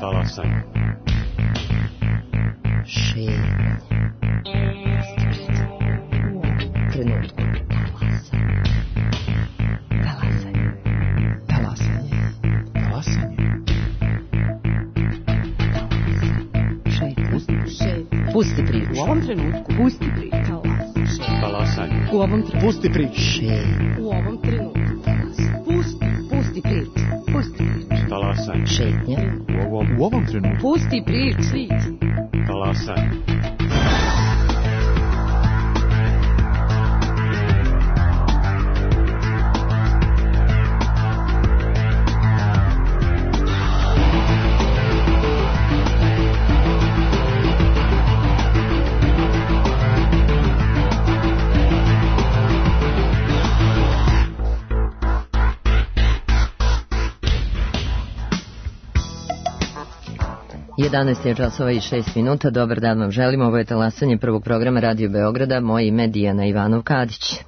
Talasanje. Šetnje. Trenutku. Talasanje. Talasanje. Talasanje. Pusti priču. U ovom trenutku. Pusti priču. Talasanje. U ovom trenutku. Pusti priču. U ovom trenutku. Pusti priču. Pusti priču. Talasanje. Šetnja. U ovom trenutku. Pusti priču. Talasanje. Je časova i 6 minuta. Dobar dan vam želim. Ovo je talasanje prvog programa Radio Beograda. Moje ime je Dijana Ivanov-Kadić.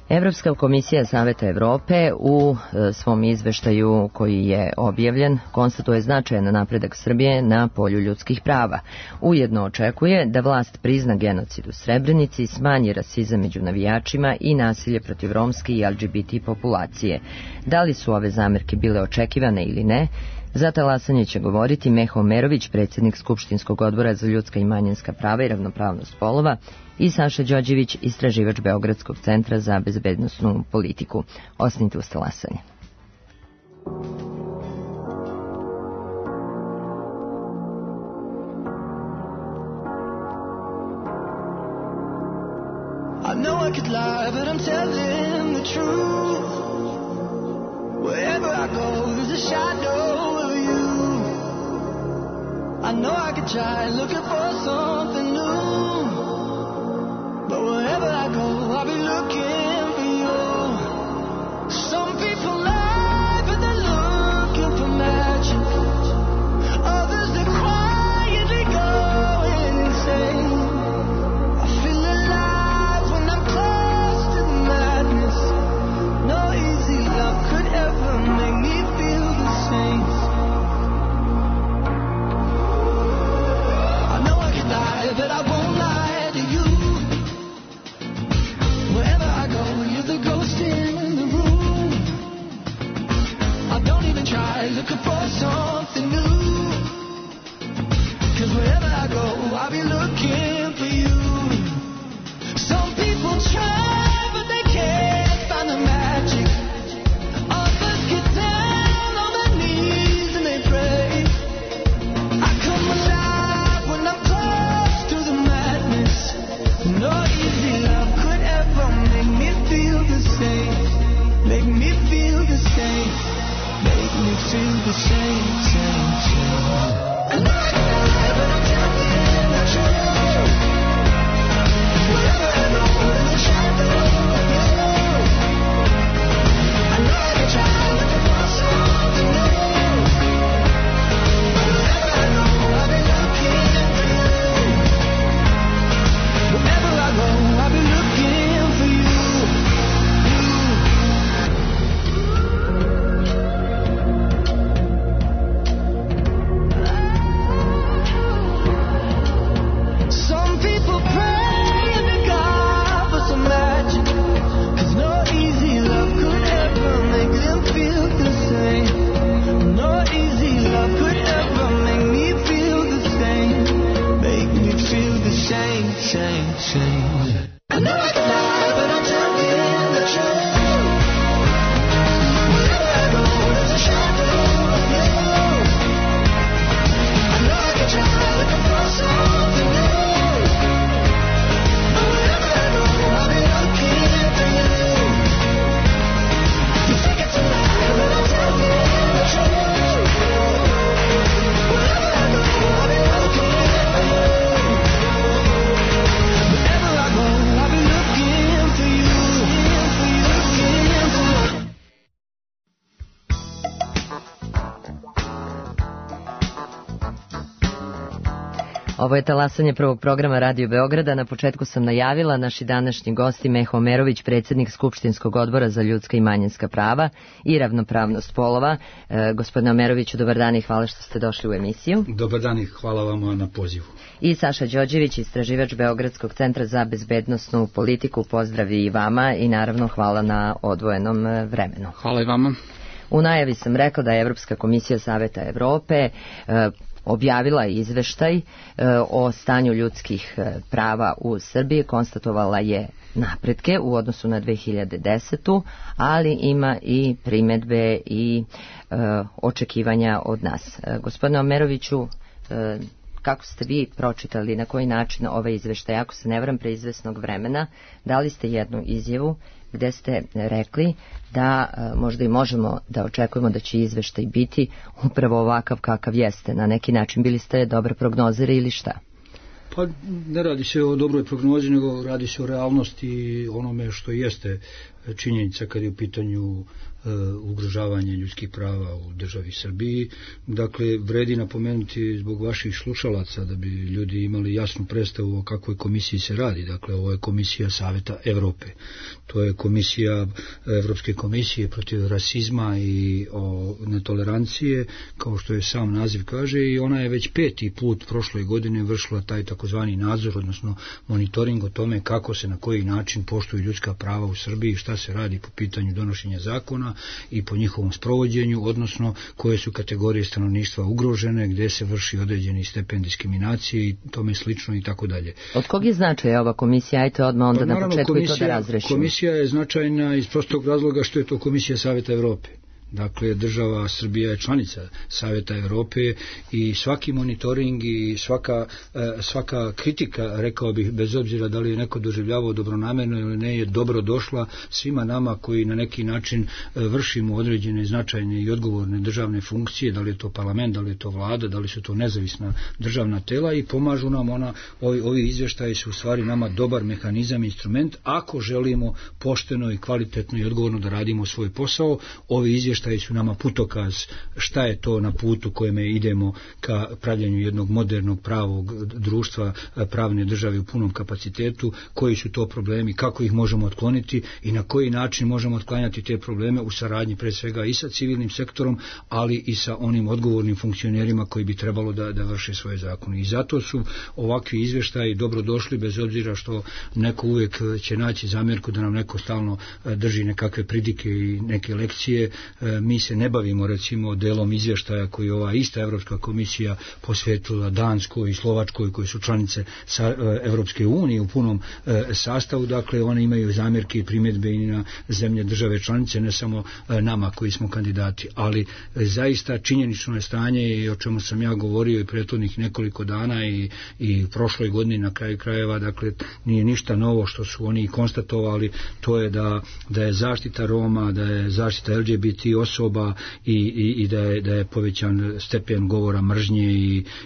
Evropska komisija Saveta Evrope u svom izveštaju koji je objavljen konstatuje značajan napredak Srbije na polju ljudskih prava. Ujedno očekuje da vlast prizna genocid u Srebrenici, smanji rasizam među navijačima i nasilje protiv romske i LGBT populacije. Da li su ove zamerke bile očekivane ili ne? Za talasanje će govoriti Meho Omerović, predsjednik Skupštinskog odbora za ljudska i manjinska prava i ravnopravnost polova, i Saša Đorđević, istraživač Beogradskog centra za bezbednosnu politiku. Ostanite uz talasanje. I know I could lie, but I'm telling the truth. Wherever I go, there's a shadow of you. I know I could try looking for something new, but wherever I go, I'll be looking for you. Some people lie, but they're looking for magic. Others, they're quietly going insane. I feel alive when I'm close to the madness. No easy love could ever make me feel the same. I know I can lie, but I won't lie to you. Wherever I go, you're the ghost in the room. I don't even try looking for something new, 'cause wherever I go, I'll be looking for you. Some people try, but they can't find the magic. Others get down on their knees and they pray. I come alive when I'm close to the madness. No easy love could ever make me feel the same. Make me feel the same. Make me feel the same, same, same. I know I can lie, but I'm telling the truth. Wherever I go, there's a shadow of you. I know I can try looking for something new, but wherever I go, I'll be looking for you. Wherever I go, I'll be looking for you. Ovo je talasanje prvog programa Radio Beograda. Na početku sam najavila naši današnji gosti Meho Omerović, predsjednik Skupštinskog odbora za ljudska i manjinska prava i ravnopravnost polova. Gospodine Omeroviću, dobar dan i hvala što ste došli u emisiju. Dobar dan i hvala vam na pozivu. I Saša Đorđević, istraživač Beogradskog centra za bezbednosnu politiku. Pozdravi i vama i naravno hvala na odvojenom vremenu. Hvala i vama. U najavi sam rekla da je Evropska komisija Saveta Evrope objavila izveštaj o stanju ljudskih prava u Srbiji, konstatovala je napretke u odnosu na 2010. ali ima i primedbe i očekivanja od nas. Gospodine Omeroviću, kako ste vi pročitali, na koji način ovaj izveštaj, ako se ne varam pre izvesnog vremena, dali ste jednu izjavu gde ste rekli da možda i možemo da očekujemo da će izveštaj biti upravo ovakav kakav jeste. Na neki način bili ste dobar prognozer ili šta? Pa ne radi se o dobroj prognozi, nego radi se o realnosti, onome što jeste činjenica kad je u pitanju ugrožavanje ljudskih prava u državi Srbiji. Dakle, vredi napomenuti zbog vaših slušalaca da bi ljudi imali jasnu predstavu o kakvoj komisiji se radi. Dakle, ovo je komisija Saveta Evrope. To je komisija Evropske komisije protiv rasizma i netolerancije, kao što je sam naziv kaže, i ona je već 5. put prošle godine vršila taj takozvani nadzor, odnosno monitoring o tome kako se na koji način poštuju ljudska prava u Srbiji, šta se radi po pitanju donošenja zakona i po njihovom sprovođenju, odnosno koje su kategorije stanovništva ugrožene, gde se vrši određeni stepen diskriminacije i tome slično i tako dalje. Od kog je značaja ova komisija? Ajte odmah onda na početku i to da razrešimo. Komisija je značajna iz prostog razloga što je to komisija Saveta Evrope. Dakle, država Srbija je članica Saveta Evrope i svaki monitoring i svaka kritika, rekao bih, bez obzira da li je neko doživljavao dobronamerno ili ne, je dobro došla svima nama koji na neki način vršimo određene značajne i odgovorne državne funkcije, da li je to parlament, da li je to vlada, da li su to nezavisna državna tela, i pomažu nam ovi izvještaji su u stvari nama dobar mehanizam, instrument, ako želimo pošteno i kvalitetno i odgovorno da radimo svoj posao. Ovi izvještaji su nama putokaz šta je to na putu kojeme idemo ka pravljenju jednog modernog pravog društva, pravne države u punom kapacitetu, koji su to problemi, kako ih možemo otkloniti i na koji način možemo otklanjati te probleme u saradnji pre svega i sa civilnim sektorom, ali i sa onim odgovornim funkcionerima koji bi trebalo da vrše svoje zakone. I zato su ovakvi izvještaji dobrodošli, bez obzira što neko uvijek će naći zamjerku da nam neko stalno drži nekakve pridike i neke lekcije. Mi se ne bavimo recimo delom izvještaja koji ova ista Evropska komisija posvetila Danskoj i Slovačkoj, koji su članice Evropske unije u punom sastavu. Dakle, one imaju zamjerke i primjedbe i na zemlje države članice, ne samo nama koji smo kandidati. Ali zaista činjenično je stanje, i o čemu sam ja govorio i prethodnih nekoliko dana i prošloj godini na kraju krajeva, dakle nije ništa novo što su oni konstatovali, to je da je zaštita Roma, da je zaštita LGBT osoba i da je povećan stepen govora mržnje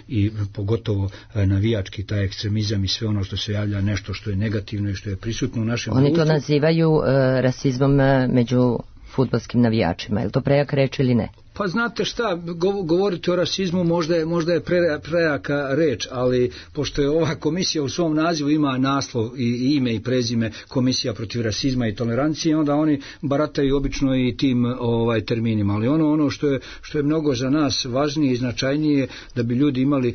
i pogotovo navijački taj ekstremizam i sve ono što se javlja nešto što je negativno i što je prisutno u našem društvu. Oni to nazivaju rasizmom među fudbalskim navijačima. Je li to prejaka reč ili ne? Pa znate šta, govoriti o rasizmu možda je prejaka reč, ali pošto je ova komisija u svom nazivu ima naslov i ime i prezime Komisija protiv rasizma i tolerancije, onda oni barataju obično i tim terminima. Ali ono što je mnogo za nas važnije i značajnije, da bi ljudi imali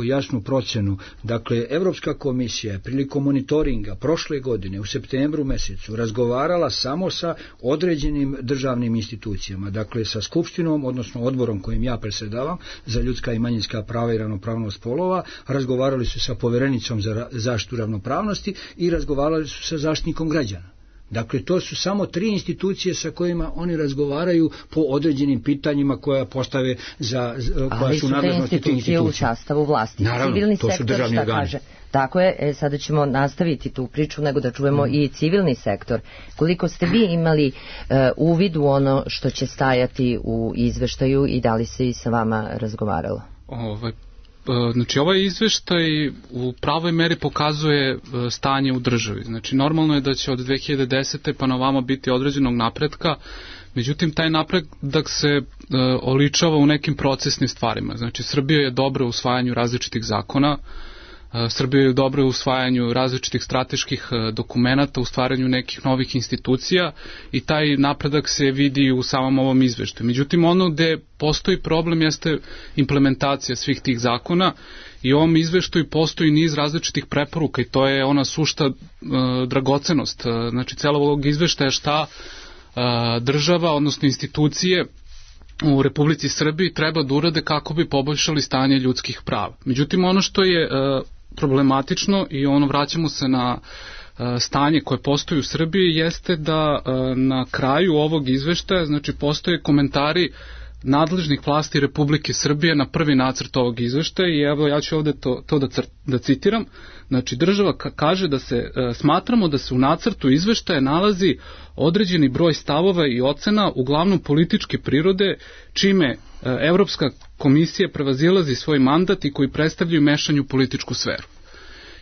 jasnu procenu. Dakle, Evropska komisija je prilikom monitoringa prošle godine u septembru mesecu razgovarala samo sa određenim državnim institucijama, dakle sa Skupštinom, odnosno odborom kojim ja predsjedavam za ljudska i manjinska prava i ravnopravnost polova, razgovarali su sa povjerenicom za zaštitu ravnopravnosti i razgovarali su sa zaštitnikom građana. Dakle, to su samo 3 institucije sa kojima oni razgovaraju po određenim pitanjima koja postave koja su nadležnosti tih institucija. U sastavu vlasti. Naravno, civilni to su državni organi. Kaže? Tako je, sada ćemo nastaviti tu priču, nego da čujemo i civilni sektor. Koliko ste vi imali uvid u ono što će stajati u izveštaju i da li se i sa vama razgovaralo? Znači, ovaj izveštaj u pravoj meri pokazuje stanje u državi. Znači, normalno je da će od 2010. pa na ovamo biti određenog napretka Međutim, taj napredak se oličava u nekim procesnim stvarima. Znači, Srbija je dobra u usvajanju različitih zakona, Srbija je dobra u usvajanju različitih strateških dokumenata, u stvaranju nekih novih institucija i taj napredak se vidi u samom ovom izveštaju. Međutim, ono gde postoji problem jeste implementacija svih tih zakona i u ovom izveštaju postoji niz različitih preporuka i to je ona sušta dragocenost. Znači, celog ovog izveštaja šta država, odnosno institucije u Republici Srbiji treba da urade kako bi poboljšali stanje ljudskih prava. Međutim, ono što je problematično i vraćamo se na stanje koje postoji u Srbiji jeste da na kraju ovog izveštaja, znači, postoje komentari nadležnih vlasti Republike Srbije na prvi nacrt ovog izveštaja i evo ja ću ovde to da citiram. Znači, država kaže da smatramo da se u nacrtu izveštaja nalazi određeni broj stavova i ocena, uglavnom političke prirode, čime Evropska komisija prevazilazi svoj mandat i koji predstavljaju mešanje u političku sferu.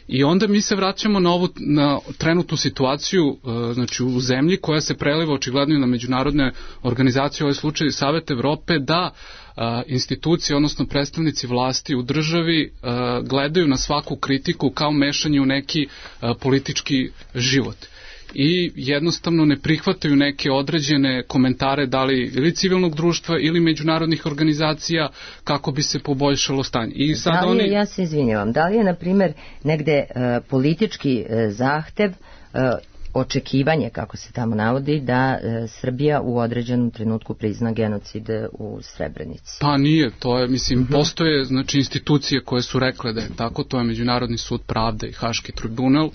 I onda mi se vraćamo na trenutnu situaciju, znači u zemlji koja se preliva očigledno na međunarodne organizacije, ovaj slučaj Savet Evrope, da institucije, odnosno predstavnici vlasti u državi gledaju na svaku kritiku kao mešanje u neki politički život. I jednostavno ne prihvataju neke određene komentare da li ili civilnog društva ili međunarodnih organizacija kako bi se poboljšalo stanje. I sad ja se izvinjavam, da li je na primjer negde politički zahtev, očekivanje, kako se tamo navodi, da Srbija u određenom trenutku prizna genocid u Srebrenici? Pa nije, to je, mislim, postoje znači institucije koje su rekle da je tako, to je Međunarodni sud pravde i Haški tribunal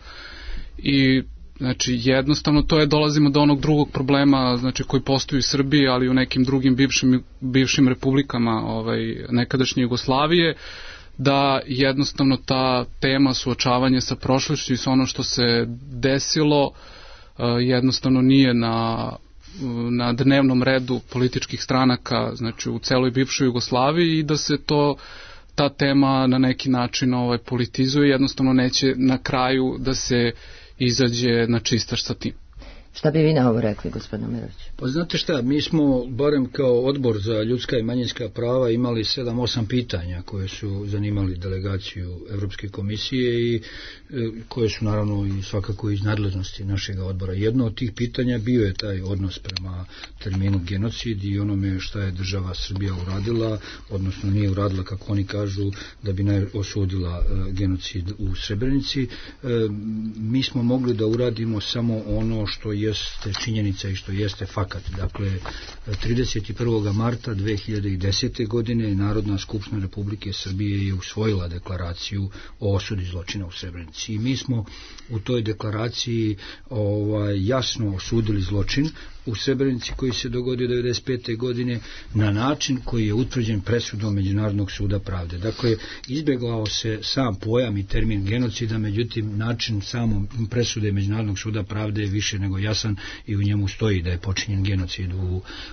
i znači, jednostavno to je, dolazimo do onog drugog problema, znači, koji postoji u Srbiji, ali i u nekim drugim bivšim republikama nekadašnje Jugoslavije, da jednostavno ta tema suočavanja sa prošlošću i sa ono što se desilo jednostavno nije na dnevnom redu političkih stranaka, znači, u celoj bivšoj Jugoslaviji i da se ta tema na neki način politizuje, jednostavno neće na kraju da se izađe na čistač sa tim. Šta bi vi na ovo rekli, gospodine Mirović? Pa znate šta, mi smo, barem kao odbor za ljudska i manjinska prava, imali 7-8 pitanja koje su zanimali delegaciju Evropske komisije i koje su naravno i svakako iz nadležnosti našeg odbora. Jedno od tih pitanja bio je taj odnos prema terminu genocid i onome šta je država Srbija uradila, odnosno nije uradila, kako oni kažu, da bi osudila genocid u Srebrenici. Mi smo mogli da uradimo samo ono što jeste činjenica i što jeste fakat. Dakle, 31. marta 2010. godine Narodna skupština Republike Srbije je usvojila deklaraciju o osudi zločina u Srebrenici. I mi smo u toj deklaraciji jasno osudili zločin u Srebrenici koji se dogodio 1995. godine na način koji je utvrđen presudom Međunarodnog suda pravde. Dakle, izbjegao se sam pojam i termin genocida, međutim način samom presude Međunarodnog suda pravde je više nego jasan i u njemu stoji da je počinjen genocid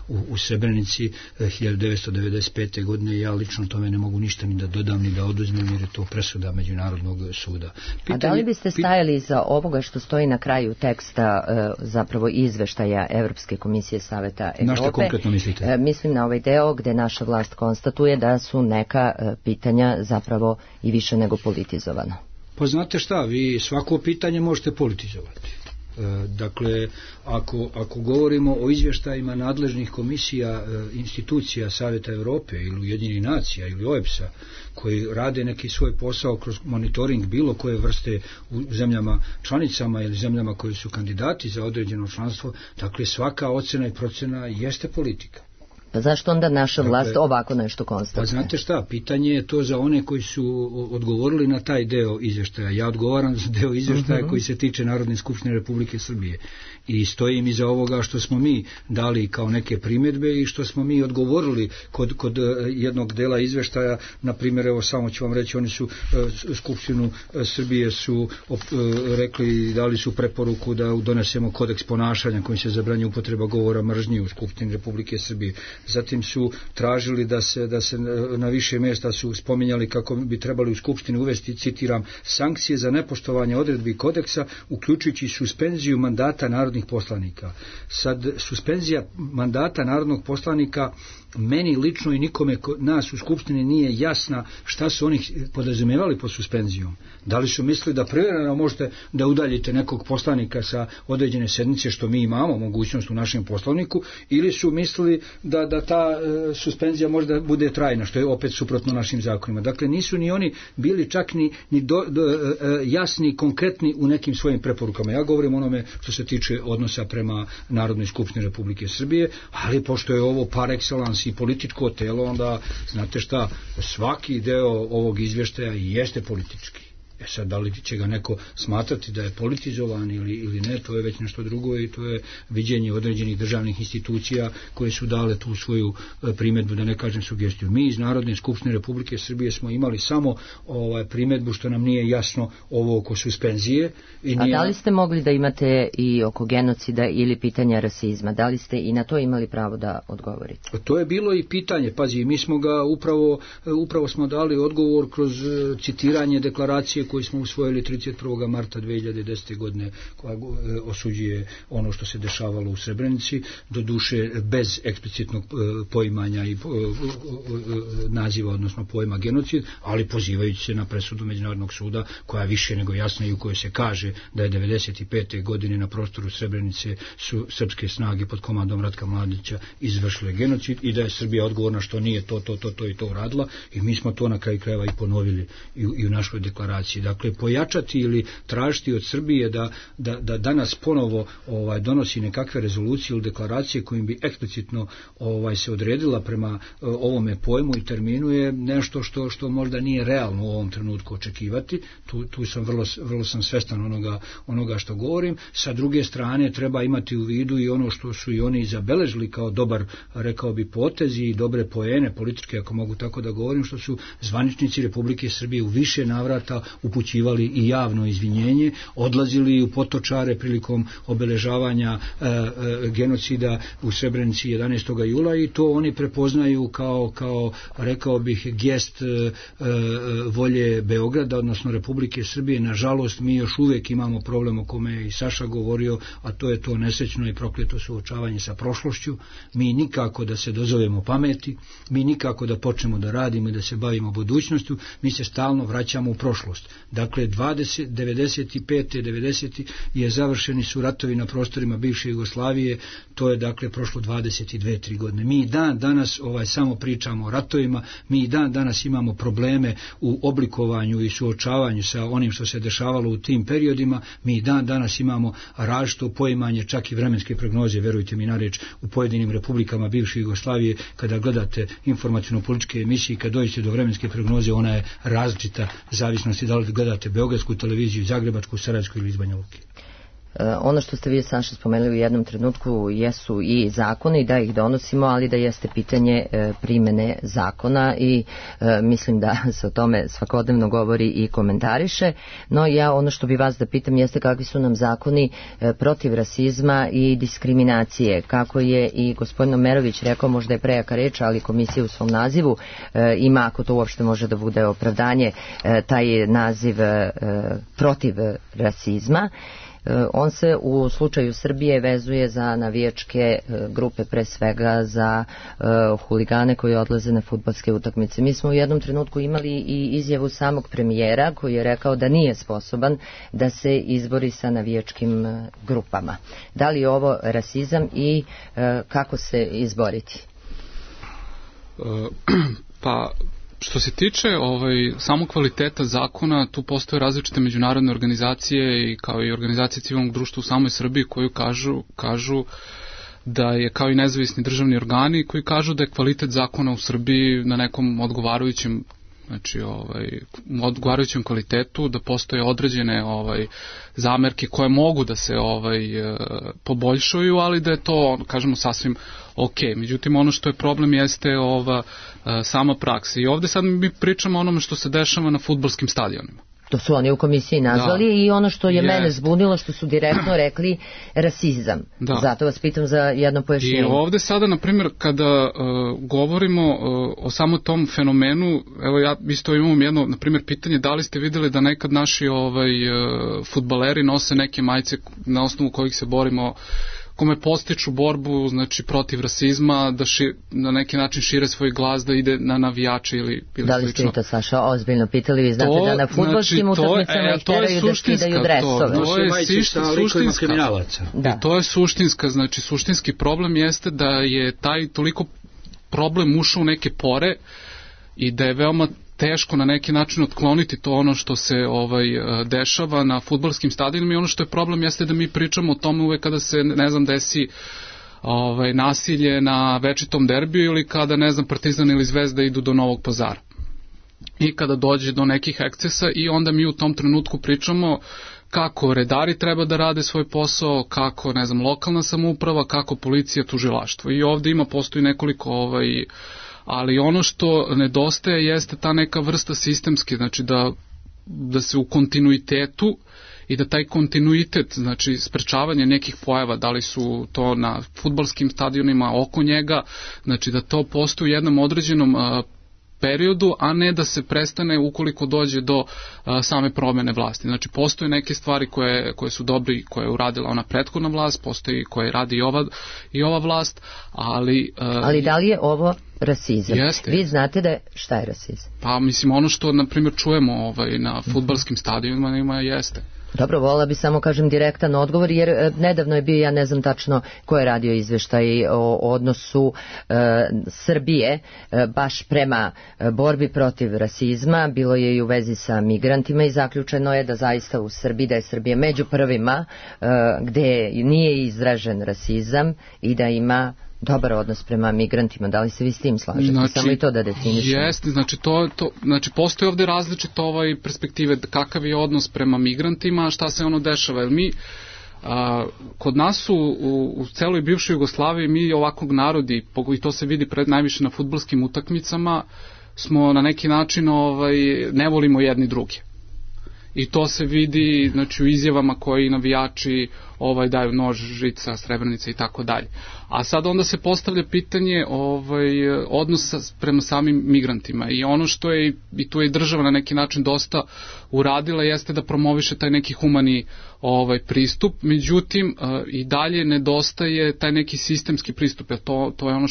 u Srebrenici 1995. godine. Ja lično tome ne mogu ništa ni da dodam ni da oduzmem jer je to presuda Međunarodnog suda. A da li biste stajali za ovoga što stoji na kraju teksta zapravo izveštaja Evropske komisije Saveta Evrope? Na što konkretno mislite? Mislim na ovaj deo gde naša vlast konstatuje da su neka pitanja zapravo i više nego politizovana. Pa znate šta, vi svako pitanje možete politizovati. Dakle, ako govorimo o izvještajima nadležnih komisija, institucija Saveta Evrope ili Ujedinjenih nacija ili OEBS-a koji rade neki svoj posao kroz monitoring bilo koje vrste u zemljama članicama ili zemljama koji su kandidati za određeno članstvo, dakle svaka ocena i procena jeste politika. Pa zašto onda naša vlast ovako nešto konstatuje? Pa znate šta, pitanje je to za one koji su odgovorili na taj deo izvještaja. Ja odgovaram za deo izvještaja koji se tiče Narodne skupštine Republike Srbije. I stojim iza ovoga što smo mi dali kao neke primjedbe i što smo mi odgovorili kod jednog dela izvještaja. Na primjer, evo samo ću vam reći, oni su Skupštinu Srbije su rekli, dali su preporuku da donesemo kodeks ponašanja kojim se zabranjuje upotreba govora mržnje u Skupštini Republike Srbije. zatim su tražili da se na više mjesta su spominjali kako bi trebali u Skupštini uvesti, citiram, sankcije za nepoštovanje odredbi kodeksa, uključujući suspenziju mandata narodnih poslanika. Sad, suspenzija mandata narodnog poslanika meni lično i nikome nas u Skupštini nije jasna šta su oni podrazumijevali pod suspenzijom. Da li su mislili da privremeno možete da udaljite nekog poslanika sa određene sednice, što mi imamo mogućnost u našem Poslovniku, ili su mislili da ta suspenzija možda bude trajna, što je opet suprotno našim zakonima. Dakle, nisu ni oni bili čak ni jasni i konkretni u nekim svojim preporukama. Ja govorim onome što se tiče odnosa prema Narodnoj skupštini Republike Srbije, ali pošto je ovo par excellence i političko telo, onda znate šta, svaki deo ovog izvještaja jeste politički. Sad, da li će ga neko smatrati da je politizovan ili ne, to je već nešto drugo i to je viđenje određenih državnih institucija koje su dale tu svoju primjedbu, da ne kažem sugestiju. Mi iz Narodne skupštine Republike Srbije smo imali samo primjedbu što nam nije jasno ovo oko suspenzije. A da li ste mogli da imate i oko genocida ili pitanja rasizma? Da li ste i na to imali pravo da odgovorite? To je bilo i pitanje, pazi, mi smo ga upravo smo dali odgovor kroz citiranje deklaracije koji smo usvojili 31. marta 2010. godine, koja osuđuje ono što se dešavalo u Srebrenici, doduše bez eksplicitnog poimanja i naziva, odnosno pojma genocid, ali pozivajući se na presudu Međunarodnog suda, koja više nego jasna i u kojoj se kaže da je 95. godine na prostoru Srebrenice su srpske snage pod komandom Ratka Mladića izvršile genocid i da je Srbija odgovorna što nije to i to uradila, i mi smo to na kraju krajeva i ponovili i u našoj deklaraciji. Dakle, pojačati ili tražiti od Srbije da danas ponovo donosi nekakve rezolucije ili deklaracije kojim bi eksplicitno se odredila prema ovome pojmu i terminu je nešto što možda nije realno u ovom trenutku očekivati. Tu sam vrlo sam svestan onoga što govorim. Sa druge strane treba imati u vidu i ono što su i oni zabeležili kao dobar, rekao bi, potez i dobre poene političke, ako mogu tako da govorim, što su zvaničnici Republike Srbije u više navrata upućivali i javno izvinjenje, odlazili u Potočare prilikom obeležavanja genocida u Srebrenici 11. jula i to oni prepoznaju kao rekao bih, gest volje Beograda, odnosno Republike Srbije. Nažalost, mi još uvijek imamo problem o kome je i Saša govorio, a to je to nesrećno i prokleto suočavanje sa prošlošću. Mi nikako da se dozovemo pameti, mi nikako da počnemo da radimo i da se bavimo budućnošću, mi se stalno vraćamo u prošlost. Dakle, 90. je završeni su ratovi na prostorima bivše Jugoslavije, to je dakle prošlo 22-3 godine. Mi dan danas samo pričamo o ratovima, mi dan danas imamo probleme u oblikovanju i suočavanju sa onim što se dešavalo u tim periodima, mi dan danas imamo različito poimanje, čak i vremenske prognoze, verujte mi na reč, u pojedinim republikama bivše Jugoslavije. Kada gledate informativno-političke emisije, kad dođete do vremenske prognoze, ona je različita zavisnosti da li gledate beogradsku televiziju, zagrebačku, sarajevsku ili iz Banja Luke. Ono što ste vi, Saša, spomenuli u jednom trenutku jesu i zakoni, da ih donosimo, ali da jeste pitanje primene zakona i mislim da se o tome svakodnevno govori i komentariše. No ja ono što bi vas da pitam jeste kakvi su nam zakoni protiv rasizma i diskriminacije. Kako je i gospodin Omerović rekao, možda je prejaka reč, ali komisija u svom nazivu ima, ako to uopšte može da bude opravdanje, taj naziv protiv rasizma. On se u slučaju Srbije vezuje za navijačke grupe, pre svega za huligane koji odlaze na fudbalske utakmice. Mi smo u jednom trenutku imali i izjavu samog premijera koji je rekao da nije sposoban da se izbori sa navijačkim grupama. Da li je ovo rasizam i kako se izboriti? Pa što se tiče samog kvaliteta zakona, tu postoje različite međunarodne organizacije i kao i organizacije civilnog društva u samoj Srbiji koji kažu da je, kao i nezavisni državni organi koji kažu da je kvalitet zakona u Srbiji na nekom odgovarajućem, znači odgovarajućem kvalitetu, da postoje određene zamerke koje mogu da se poboljšaju, ali da je to, kažemo, sasvim ok. Međutim, ono što je problem jeste sama praksa. I ovde sad mi pričamo o onome što se dešava na fudbalskim stadionima. što su oni u komisiji nazvali, i ono što je mene zbunilo, što su direktno rekli rasizam. Zato vas pitam za jedno pojašnjenje. I ovde sada, na primjer, kada govorimo o samo tom fenomenu, evo ja isto imam jedno, na primjer, pitanje, da li ste videli da nekad naši fudbaleri nose neke majice na osnovu kojih se borimo, kome postiču borbu, znači, protiv rasizma, da na neki način šire svoj glas, da ide na navijače ili slično. Da li ste to, Saša, ozbiljno pitali? Vi znate da na fudbalskim utakmicama ih teraju da skidaju dresove. To je suštinska. To je suštinska, znači, suštinski problem jeste da je taj toliko problem ušao u neke pore i da je veoma teško na neki način otkloniti to ono što se dešava na fudbalskim stadionima, i ono što je problem jeste da mi pričamo o tome uvek kada se, ne znam, desi nasilje na večitom derbiju ili kada, ne znam, Partizan ili Zvezda idu do Novog Pazara. I kada dođe do nekih ekscesa, i onda mi u tom trenutku pričamo kako redari treba da rade svoj posao, kako, ne znam, lokalna samouprava, kako policija, tužilaštvo. I ovde postoji nekoliko ali ono što nedostaje jeste ta neka vrsta sistemske, znači da se u kontinuitetu i da taj kontinuitet, znači sprečavanje nekih pojava, da li su to na fudbalskim stadionima, oko njega, znači da to postoji u jednom određenom periodu, a ne da se prestane ukoliko dođe do same promene vlasti. Znači, postoje neke stvari koje su dobre i koje je uradila ona prethodna vlast, postoji koje radi i ova vlast, ali... Ali da li je ovo rasizam? Jeste. Vi znate šta je rasizam? Pa, mislim, ono što, na primjer, čujemo na fudbalskim stadionima jeste. Dobro, volila bi samo kažem direktan odgovor, jer nedavno je bio, ja ne znam tačno ko je radio izveštaj o odnosu Srbije baš prema borbi protiv rasizma, bilo je i u vezi sa migrantima i zaključeno je da zaista u Srbiji, da je Srbija među prvima gde nije izražen rasizam i da ima dobar odnos prema migrantima. Da li se vi s tim slažete? Znači, samo i to da definišemo. Jeste, znači postoji ovde različite perspektive, kakav je odnos prema migrantima, šta se ono dešava, jer mi kod nas u celoj bivšoj Jugoslaviji, mi ovakvog narodi, i to se vidi najviše na fudbalskim utakmicama, smo na neki način ne volimo jedni druge. I to se vidi, znači, u izjavama koji navijači daju nož, žica, srebrnica i tako dalje. A sad onda se postavlja pitanje odnosa prema samim migrantima, i ono što je, i tu je država na neki način dosta uradila, jeste da promoviše taj neki humani pristup, međutim i dalje nedostaje taj neki sistemski pristup, jer to je ono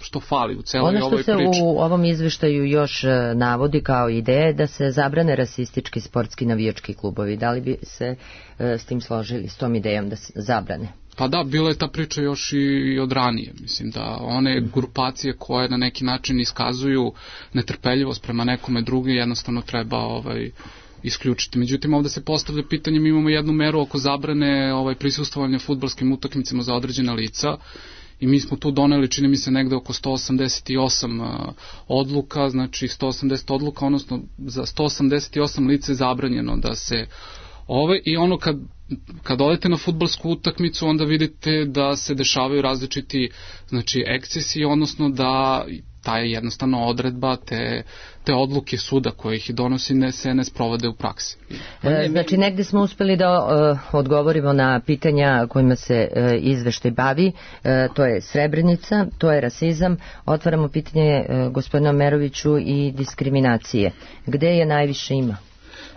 što fali u celoj ovoj priči. Ono što se u ovom izveštaju još navodi kao ideje, da se zabrane rasistički sportski navijački klubovi. Da li bi se s tim složili, s tom idejom da se zabrane? Pa da, bila je ta priča još i od ranije. Mislim da one grupacije koje na neki način iskazuju netrpeljivost prema nekome drugi jednostavno treba isključiti. Međutim, ovde se postavlja pitanje, mi imamo jednu meru oko zabrane prisustvovanja fudbalskim utakmicama za određena lica, i mi smo tu doneli, čini mi se, negde oko 188 odluka, znači 180 odluka, odnosno za 188 lice je zabranjeno da se i ono kad odete na fudbalsku utakmicu, onda vidite da se dešavaju različiti, znači, ekscesi, odnosno da ta je jednostavno odredba, te odluke suda koje ih donosi se ne sprovode u praksi. Znači, negde smo uspeli da odgovorimo na pitanja kojima se izveštaj bavi, to je Srebrenica, to je rasizam. Otvaramo pitanje gospodina Meroviću i diskriminacije. Gde je najviše ima?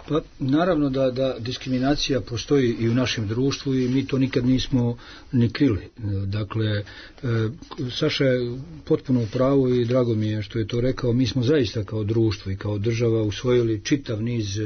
Pa naravno da diskriminacija postoji i u našem društvu i mi to nikad nismo ni krili. Dakle, Saša je potpuno u pravu i drago mi je što je to rekao. Mi smo zaista kao društvo i kao država usvojili čitav niz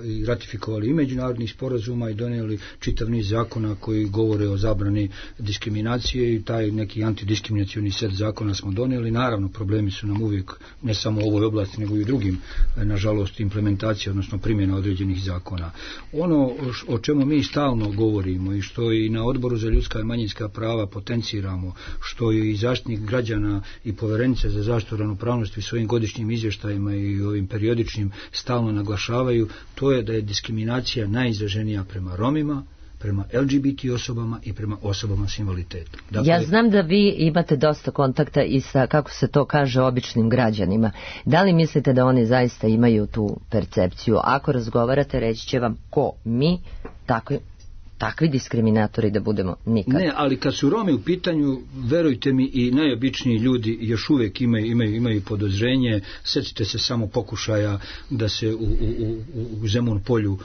i ratifikovali i međunarodnih sporazuma i donijeli čitav niz zakona koji govore o zabrani diskriminacije, i taj neki antidiskriminacioni set zakona smo donijeli. Naravno, problemi su nam uvijek, ne samo u ovoj oblasti, nego i u drugim, nažalost, implementacije, odnosno primjena određenih zakona. Ono o čemu mi stalno govorimo i što i na Odboru za ljudska i manjinska prava potenciramo, što je i zaštitnik građana i Poverenica za zaštitu ravnopravnosti u svojim godišnjim izvještajima i ovim periodičnim stalno naglašavaju, to je da je diskriminacija najizraženija prema Romima, prema LGBT osobama i prema osobama s invaliditetom. Dakle, ja znam da vi imate dosta kontakta i sa, kako se to kaže, običnim građanima. Da li mislite da oni zaista imaju tu percepciju? Ako razgovarate, reći će vam ko mi, takvi diskriminatori da budemo nikad. Ne, ali kad su Romi u pitanju, verujte mi, i najobičniji ljudi još uvijek imaju podozrenje. Sjetite se samo pokušaja da se u Zemun polju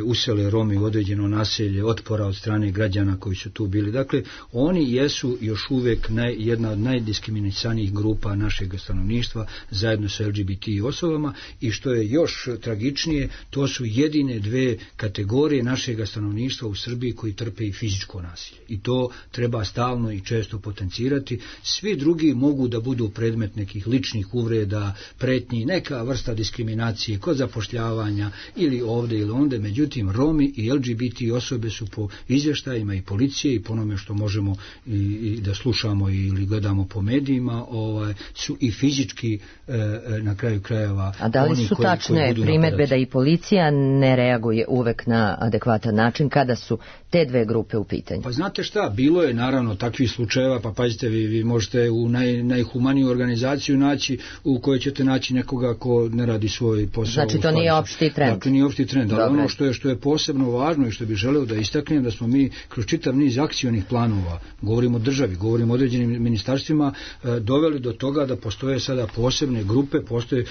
usele Romi u određeno naselje, otpora od strane građana koji su tu bili. Dakle, oni jesu još uvijek jedna od najdiskriminisanijih grupa našeg stanovništva zajedno sa LGBT osobama, i što je još tragičnije, to su jedine dve kategorije našeg stanovništva u Srbiji koji trpe i fizičko nasilje. I to treba stalno i često potencirati. Svi drugi mogu da budu predmet nekih ličnih uvreda, pretnji, neka vrsta diskriminacije kod zapošljavanja ili ovde ili onde. Međutim, Romi i LGBT osobe su po izvještajima i policije i po onome što možemo i da slušamo ili gledamo po medijima, su i fizički na kraju krajeva. A da li su tačne primedbe da i policija ne reaguje uvek na adekvatan način kada su te dve grupe u pitanju? Pa znate šta, bilo je naravno takvih slučajeva, pa pazite, vi možete u najhumaniju organizaciju naći, u kojoj ćete naći nekoga ko ne radi svoj posao. Znači to nije opšti trend. Dakle, nije opšti trend, ali ono što je posebno važno i što bih želeo da istaknem, da smo mi kroz čitav niz akcionih planova, govorimo o državi, govorimo o određenim ministarstvima, doveli do toga da postoje sada posebne grupe, postoje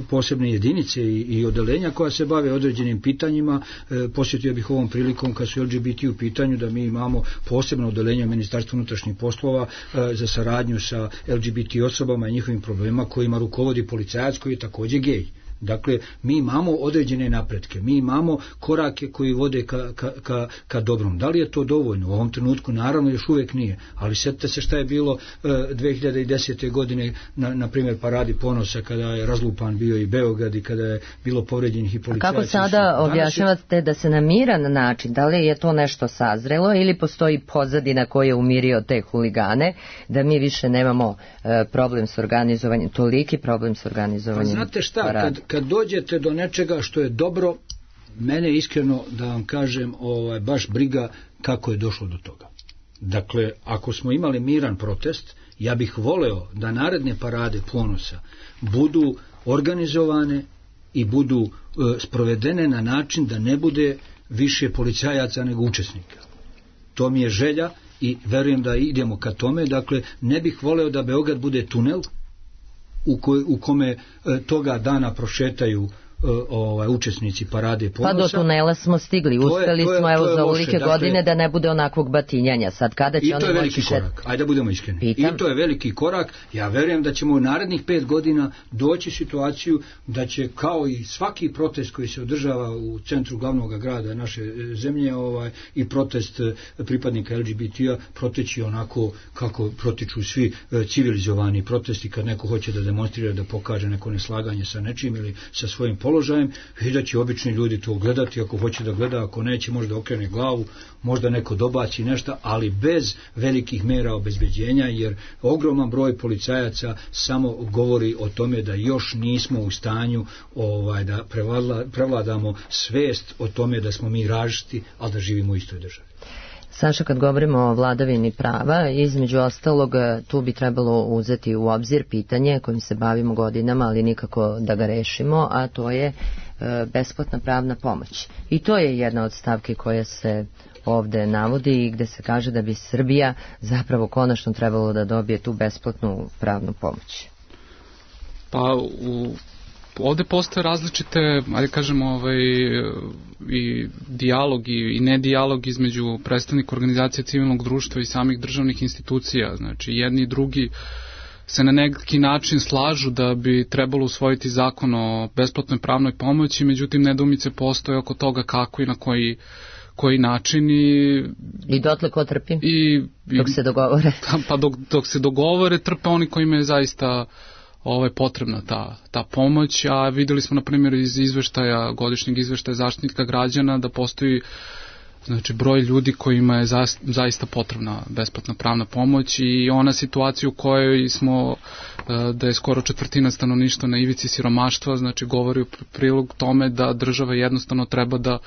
posebne jedinice i odeljenja koja se bave određenim pitanjima. Posjetio bih ovom prilikom, kad su LGBT u pitanju, da mi imamo posebno odeljenje Ministarstva unutrašnjih poslova za saradnju sa LGBT osobama i njihovim problemima, kojima rukovodi policajac koji je također gej. Dakle, mi imamo određene napretke, mi imamo korake koji vode ka dobrom. Da li je to dovoljno? U ovom trenutku naravno još uvijek nije, ali sjetite se šta je bilo 2010. godine na primjer Paradi ponosa, kada je razlupan bio i Beograd i kada je bilo povređenih i policajaca. Kako sada objašnjavate da se na miran način, da li je to nešto sazrelo ili postoji pozadina koja je umirio te huligane, da mi više nemamo problem s organizovanjem, toliki problem s organizovanjem? Pa znate šta, kad dođete do nečega što je dobro, mene iskreno, da vam kažem, baš briga kako je došlo do toga. Dakle, ako smo imali miran protest, ja bih voleo da naredne parade ponosa budu organizovane i budu sprovedene na način da ne bude više policajaca nego učesnika. To mi je želja i verujem da idemo ka tome. Dakle, ne bih voleo da Beograd bude tunel u kome toga dana prošetaju učesnici parade ponosa. Pa do tunela smo stigli, uspeli smo evo za ovolike godine da ne bude onakvog batinjanja. Sad kada će i to je veliki korak, ajde da budemo iskreni. I to je veliki korak. Ja verujem da ćemo u narednih 5 godina doći situaciju da će, kao i svaki protest koji se održava u centru glavnog grada naše zemlje, i protest pripadnika LGBT-a proteći onako kako protiču svi civilizovani protesti, kad neko hoće da demonstrira, da pokaže neko neslaganje sa nečim ili sa svojim položajem, i da će obični ljudi to gledati, ako hoće da gleda, ako neće možda okrene glavu, možda neko dobaci nešto, ali bez velikih mera obezbeđenja, jer ogroman broj policajaca samo govori o tome da još nismo u stanju da prevladamo svest o tome da smo mi različiti, ali da živimo u istoj državi. Saša, kad govorimo o vladavini prava, između ostalog tu bi trebalo uzeti u obzir pitanje kojim se bavimo godinama, ali nikako da ga rešimo, a to je besplatna pravna pomoć. I to je jedna od stavki koja se ovde navodi i gde se kaže da bi Srbija zapravo konačno trebalo da dobije tu besplatnu pravnu pomoć. Pa ovde postoje različite, ajde kažemo, i dijalog i nedijalog između predstavnika organizacije civilnog društva i samih državnih institucija. Znači, jedni i drugi se na neki način slažu da bi trebalo usvojiti zakon o besplatnoj pravnoj pomoći, međutim nedoumice postoje oko toga kako i na koji način i dotle ko trpi? Dok se dogovore? Pa dok se dogovore, trpe oni kojima je zaista potrebna ta pomoć, a videli smo na primjer iz godišnjeg izveštaja Zaštitnika građana da postoji broj ljudi kojima je zaista potrebna besplatna pravna pomoć, i ona situacija u kojoj smo da je skoro 1/4 stanovništva na ivici siromaštva, govori u prilog tome da država jednostavno treba da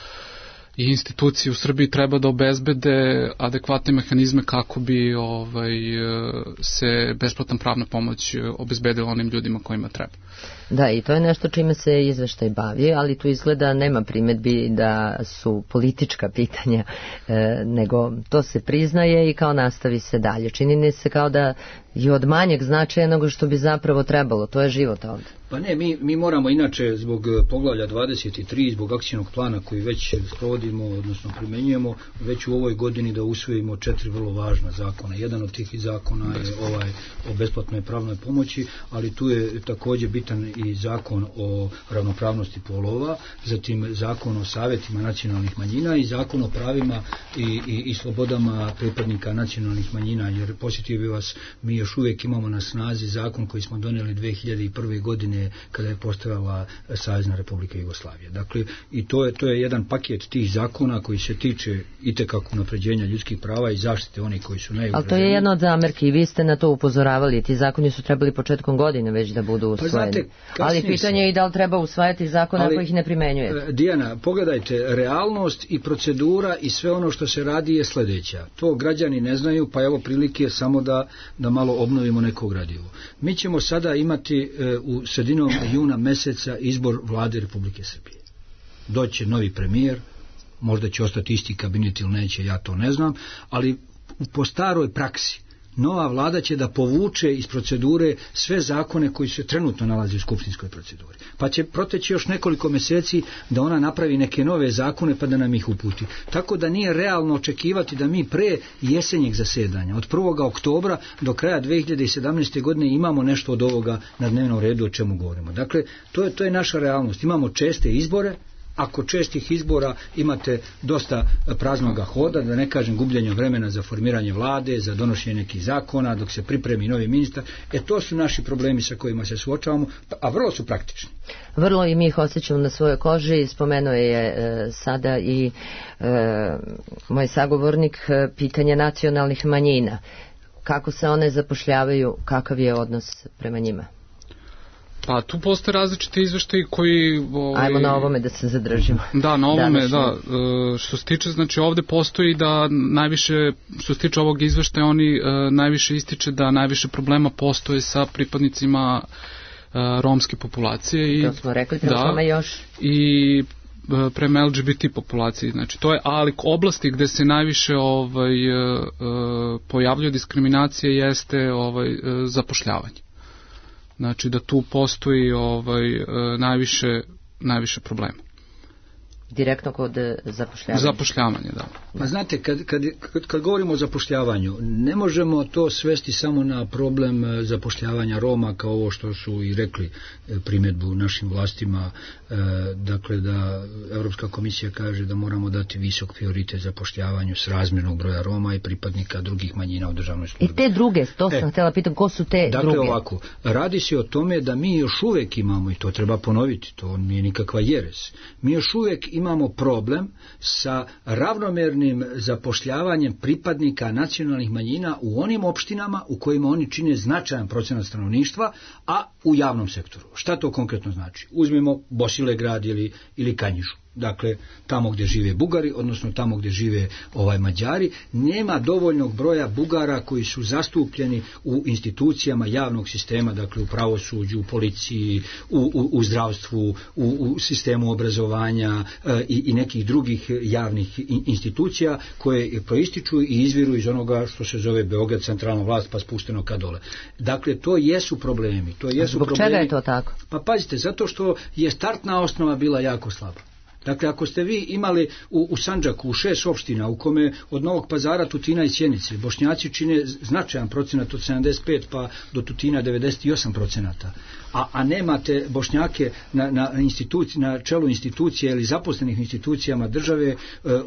i institucije u Srbiji treba da obezbede adekvatne mehanizme kako bi se besplatna pravna pomoć obezbedila onim ljudima kojima treba. Da, i to je nešto čime se izveštaj bavi, ali tu izgleda nema primedbi da su politička pitanja, nego to se priznaje i kao nastavi se dalje. Čini se kao da je od manjeg značaja nego što bi zapravo trebalo. To je život ovde. Pa ne, mi moramo inače zbog poglavlja 23, zbog akcijnog plana koji već sprovodimo, odnosno primenjujemo, već u ovoj godini da usvojimo 4 vrlo važna zakona. Jedan od tih zakona je ovaj o besplatnoj pravnoj pomoći, ali tu je također bitan i zakon o ravnopravnosti polova, zatim zakon o savjetima nacionalnih manjina i zakon o pravima i slobodama pripadnika nacionalnih manjina, jer posjetio bi vas, mi još uvijek imamo na snazi zakon koji smo donijeli 2001. godine kada je postojala Savezna Republika Jugoslavija. Dakle, i to je jedan paket tih zakona koji se tiče itekako unapređenja ljudskih prava i zaštite onih koji su najugroženiji. Ali to je jedna od zamerki i vi ste na to upozoravali. Ti zakoni su trebali početkom godine već da budu usvojeni. Pa znate, ali pitanje je i da li treba usvajati zakone ako ih ne primenjujete. Dijana, pogledajte, realnost i procedura i sve ono što se radi je sljedeća. To građani ne znaju, pa evo prilike samo da malo obnovimo neko gradivo. Mi ćemo sada imati u sredinom juna meseca izbor vlade Republike Srbije. Doće novi premijer, možda će ostati isti kabinet ili neće, ja to ne znam, ali po staroj praksi nova vlada će da povuče iz procedure sve zakone koji se trenutno nalaze u skupštinskoj proceduri. Pa će proteći još nekoliko mjeseci da ona napravi neke nove zakone pa da nam ih uputi. Tako da nije realno očekivati da mi pre jesenjeg zasedanja, od 1. oktobra do kraja 2017. godine imamo nešto od ovoga na dnevnom redu o čemu govorimo. Dakle, to je naša realnost. Imamo česte izbore. Ako čestih izbora imate dosta praznoga hoda, da ne kažem gubljenja vremena za formiranje vlade, za donošenje nekih zakona, dok se pripremi novi ministar, to su naši problemi sa kojima se suočavamo, a vrlo su praktični. Vrlo i mi ih osjećamo na svojoj koži, spomenuo je sada i moj sagovornik pitanje nacionalnih manjina. Kako se one zapošljavaju, kakav je odnos prema njima? Pa tu postoje različiti izveštaji koji... Ajmo na ovome da se zadržimo. Da, na ovome, da. Što se tiče, znači ovde postoji da najviše, što se tiče ovog izveštaja, oni najviše ističe da najviše problema postoje sa pripadnicima romske populacije. To smo rekli, prema tome još. I prema LGBT populaciji. Znači to je, ali oblasti gde se najviše pojavljuje diskriminacije jeste zapošljavanje. Znači da tu postoji najviše problema. Direktno kod zapošljavanja? Zapošljavanje, da. Pa znate, kad govorimo o zapošljavanju, ne možemo to svesti samo na problem zapošljavanja Roma, kao ovo što su i rekli primjedbu našim vlastima, dakle da Europska komisija kaže da moramo dati visok prioritet zapošljavanju srazmjernog broja Roma i pripadnika drugih manjina u državnoj službi. I te druge, to sam htjela pitati, ko su te druge? Dakle ovako, radi se o tome da mi još uvijek imamo, i to treba ponoviti, to nije nikakva jeres, mi još uvijek imamo problem sa ravnomernim zapošljavanjem pripadnika nacionalnih manjina u onim opštinama u kojima oni čine značajan procenat stanovništva, a u javnom sektoru. Šta to konkretno znači? Uzmimo Bosilegrad ili Kanjižu. Dakle, tamo gdje žive Bugari, odnosno tamo gdje žive Mađari, nema dovoljnog broja Bugara koji su zastupljeni u institucijama javnog sistema, dakle u pravosuđu, u policiji, u zdravstvu, u sistemu obrazovanja i nekih drugih javnih institucija koje proističu i izviru iz onoga što se zove Beograd, centralna vlast, pa spušteno ka dole. Dakle, to jesu problemi. Zbog čega je to tako? Pa pazite, zato što je startna osnova bila jako slaba. Dakle, ako ste vi imali u Sandžaku, u 6 opština, u kome od Novog Pazara, Tutina i Sjenice, Bošnjaci čine značajan procenat od 75 pa do Tutina 98%, a nemate Bošnjake na čelu institucije ili zaposlenih institucijama države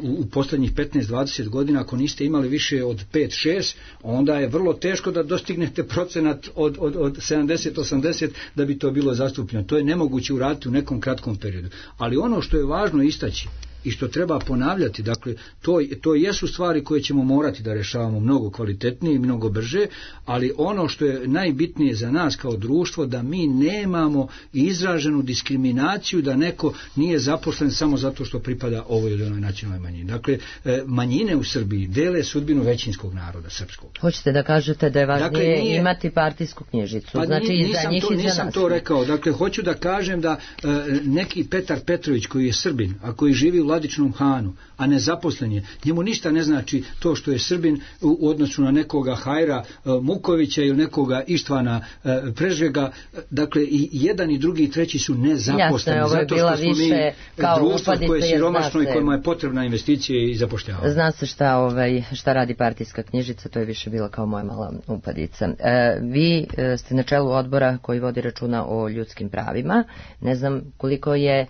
u posljednjih 15-20 godina, ako niste imali više od 5-6, onda je vrlo teško da dostignete procenat od 70-80 da bi to bilo zastupljeno. To je nemoguće uraditi u nekom kratkom periodu. Ali ono što je važno istaći, i što treba ponavljati. Dakle, to jesu stvari koje ćemo morati da rešavamo mnogo kvalitetnije i mnogo brže, ali ono što je najbitnije za nas kao društvo, da mi nemamo izraženu diskriminaciju da neko nije zaposlen samo zato što pripada ovoj ili onoj nacionalnoj manjini. Dakle, manjine u Srbiji dele sudbinu većinskog naroda srpskog. Hoćete da kažete da je važnije imati partijsku knjižicu? Pa znači nisam to rekao. Dakle, hoću da kažem da neki Petar Petrović koji je Srbin, a koji živi u Vladičnom Hanu, a nezaposlen je, njemu ništa ne znači to što je Srbin u odnosu na nekoga Hajra Mukovića ili nekoga Ištvana Prežvega. Dakle, i jedan i drugi i treći su nezaposleni. Jasno, zato što smo mi društvo koje je siromašno i kojima je potrebna investicija i zapošljavanje. Zna se šta radi partijska knjižica, to je više bila kao moja mala upadica. Vi ste na čelu odbora koji vodi računa o ljudskim pravima. Ne znam koliko je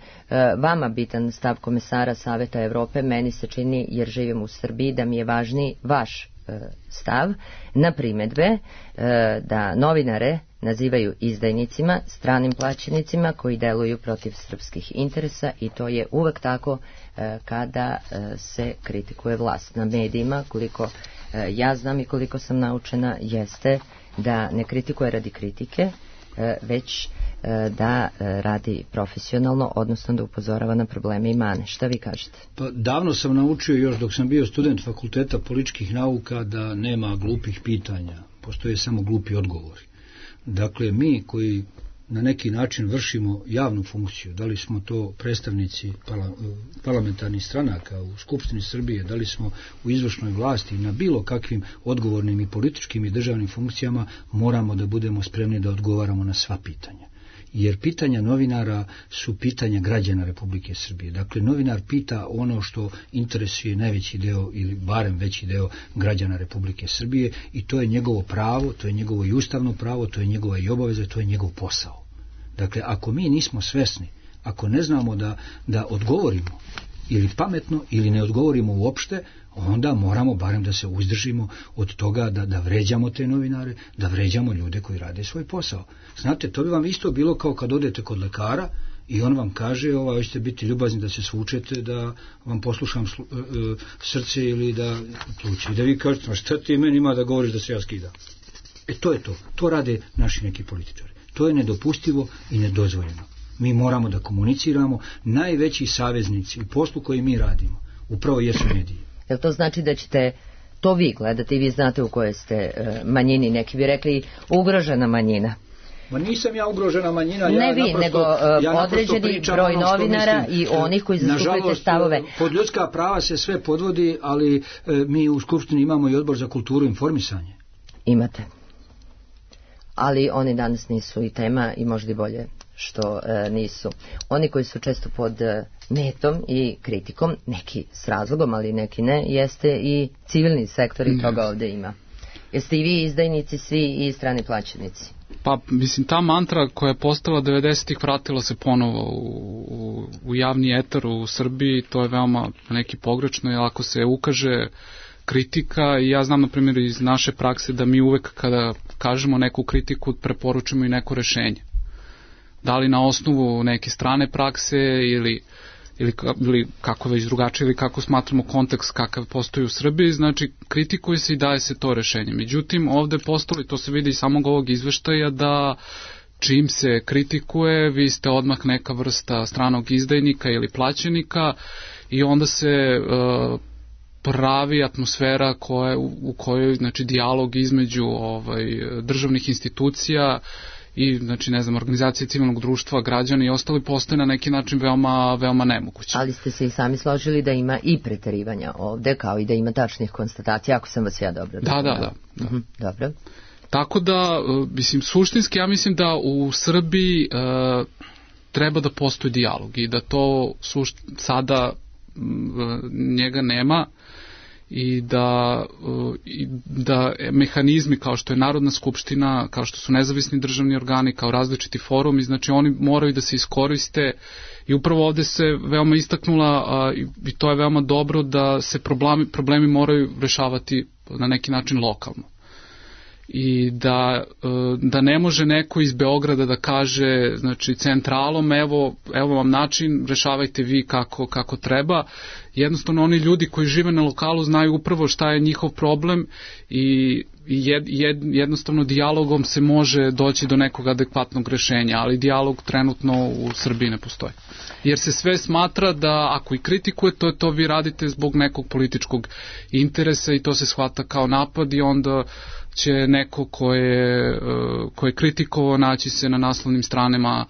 vama bitan stav komesara Saveta Evrope, meni se čini, jer živim u Srbiji, da mi je važniji vaš stav na primedbe da novinare nazivaju izdajnicima, stranim plaćenicima koji deluju protiv srpskih interesa, i to je uvek tako kada se kritikuje vlast. Na medijima, koliko ja znam i koliko sam naučena, jeste da ne kritikuje radi kritike, već da radi profesionalno, odnosno da upozorava na probleme i mane. Šta vi kažete? Pa davno sam naučio, još dok sam bio student Fakulteta političkih nauka, da nema glupih pitanja, postoje samo glupi odgovori. Dakle, mi koji na neki način vršimo javnu funkciju, da li smo to predstavnici parlamentarnih stranaka u Skupštini Srbije, da li smo u izvršnoj vlasti, na bilo kakvim odgovornim i političkim i državnim funkcijama, moramo da budemo spremni da odgovaramo na sva pitanja. Jer pitanja novinara su pitanja građana Republike Srbije. Dakle, novinar pita ono što interesuje najveći deo ili barem veći deo građana Republike Srbije, i to je njegovo pravo, to je njegovo i ustavno pravo, to je njegova i obaveza, to je njegov posao. Dakle, ako mi nismo svesni, ako ne znamo da odgovorimo ili pametno ili ne odgovorimo uopšte, onda moramo barem da se uzdržimo od toga da vređamo te novinare, da vređamo ljude koji rade svoj posao. Znate, to bi vam isto bilo kao kad odete kod lekara i on vam kaže, hoćete biti ljubazni da se svučete, da vam poslušam srce ili da pluće. I da vi kažete, šta ti meni ima da govoriš da se ja skidam? To je to. To rade naši neki političari. To je nedopustivo i nedozvoljeno. Mi moramo da komuniciramo. Najveći saveznici u poslu koji mi radimo upravo jesu mediji. Jel to znači da ćete to vi gledati i vi znate u kojoj ste manjini? Neki bi rekli ugrožena manjina. Ma nisam ja ugrožena manjina. Ne vi, nego određeni broj novinara i onih koji zastupujete stavove. Pod ljudska prava se sve podvodi, ali mi u Skupštini imamo i odbor za kulturu i informisanje. Imate. Ali oni danas nisu i tema, i možda i bolje što nisu. Oni koji su često pod metom i kritikom, neki s razlogom, ali neki ne, jeste i civilni sektor, i toga ovde ima. Jeste i vi izdajnici svi i strani plaćenici? Pa, mislim, ta mantra koja je postala 90-ih vratila se ponovo u javni etar u Srbiji, to je veoma neki pogrešno, jer ako se ukaže kritika, i ja znam na primjer iz naše prakse da mi uvek kada kažemo neku kritiku preporučimo i neko rešenje. Da li na osnovu neke strane prakse ili kako već drugačije, ili kako smatramo kontekst kakav postoji u Srbiji, znači kritikuje se i daje se to rešenje. Međutim, ovde postoji, to se vidi iz samog ovog izveštaja, da čim se kritikuje, vi ste odmah neka vrsta stranog izdajnika ili plaćenika, i onda se pravi atmosfera u kojoj, znači, dijalog između državnih institucija i, znači, ne znam, organizacije civilnog društva, građana i ostali postoje na neki način veoma nemoguće. Ali ste se i sami složili da ima i preterivanja ovde, kao i da ima tačnih konstatacija, ako sam vas ja dobro razumela. Da. Dobro. Tako da, mislim, suštinski ja mislim da u Srbiji treba da postoji dijalog i da to sada njega nema, i da mehanizmi kao što je Narodna skupština, kao što su nezavisni državni organi, kao različiti forumi, znači oni moraju da se iskoriste, i upravo ovde se veoma istaknula, i to je veoma dobro, da se problemi moraju rešavati na neki način lokalno. i da ne može neko iz Beograda da kaže, znači, centralom, evo vam način, rešavajte vi kako treba. Jednostavno oni ljudi koji žive na lokalu znaju upravo šta je njihov problem i jednostavno dijalogom se može doći do nekog adekvatnog rešenja, ali dijalog trenutno u Srbiji ne postoji. Jer se sve smatra da ako i kritikujete, to vi radite zbog nekog političkog interesa i to se shvata kao napad i onda će neko ko je kritikovao naći se na naslovnim stranama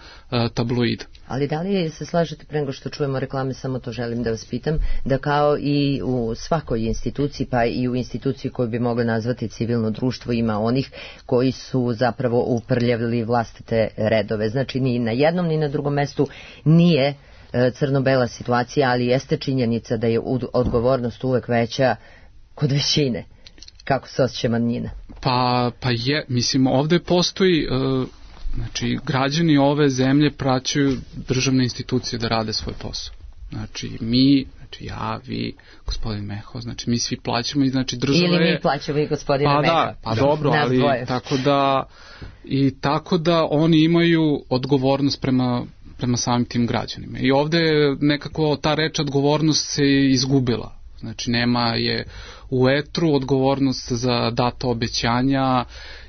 tabloida. Ali da li se slažete, pre nego što čujemo reklame, samo to želim da vas pitam, da kao i u svakoj instituciji, pa i u instituciji koju bi mogli nazvati civilno društvo, ima onih koji su zapravo uprljavili vlastite redove. Znači ni na jednom ni na drugom mestu nije crno-bela situacija, ali jeste činjenica da je odgovornost uvek veća kod većine. Kako se osjeća manjina? Pa je, mislim, ovde postoji, znači, građani ove zemlje praćaju državne institucije da rade svoj posao. Znači, ja, vi, gospodin Meho, znači, mi svi plaćamo i znači država je... Ili mi plaćamo i gospodina Meho. Pa dobro, ali tako da oni imaju odgovornost prema samim tim građanima. I ovde nekako ta reč odgovornost se izgubila. Znači, nema je u etru odgovornost za data obećanja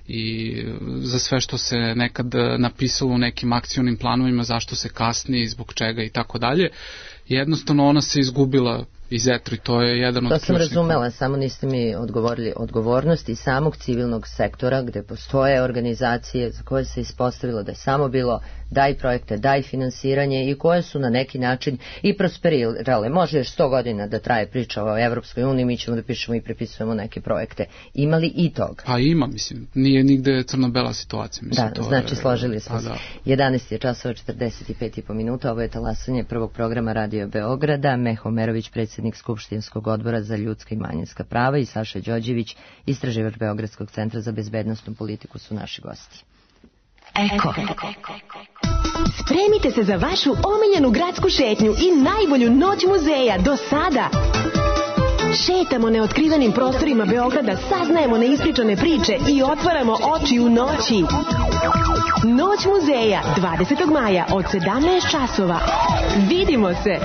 i za sve što se nekad napisalo u nekim akcionim planovima, zašto se kasni, zbog čega i tako dalje. Jednostavno ona se izgubila iz etra i to je jedan od ključnih. To sam razumela, samo niste mi odgovorili. Odgovornost i samog civilnog sektora gde postoje organizacije za koje se ispostavilo da je samo bilo daj projekte, daj finansiranje i koje su na neki način i prosperirale. Može još 100 godina da traje priča o Evropskoj uniji, mi ćemo da pišemo i prepisujemo neke projekte. Ima li i toga? Pa ima, mislim. Nije nigde crno-bela situacija. Mislim, da, znači složili smo se. 11 je časova 45,5 minuta. Ovo je talasanje prvog programa Radio Beograda. Meho Merović, predsjednik Skupštinskog odbora za ljudska i manjinska prava, i Saša Đorđević, istraživač Beogradskog centra za bezbednosnu politiku, su naši gosti. Eko. Spremite se za vašu omiljenu gradsku šetnju i najbolju noć muzeja do sada. Šetamo neotkrivenim prostorima Beograda, saznajemo neispričane priče i otvaramo oči u noći. Noć muzeja 20. maja od 17 časova. Vidimo se!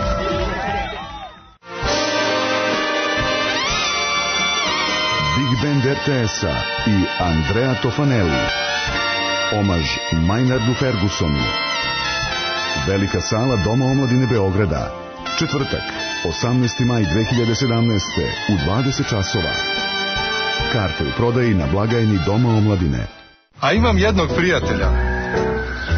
Big Band RTS-a i Andrea Tofanelli. Omaž Maynardu Fergusonu. Velika sala Doma omladine Beograda. Četvrtak, 18. maj 2017. u 20 časova. Karte u prodaji na blagajni Doma omladine. A imam jednog prijatelja.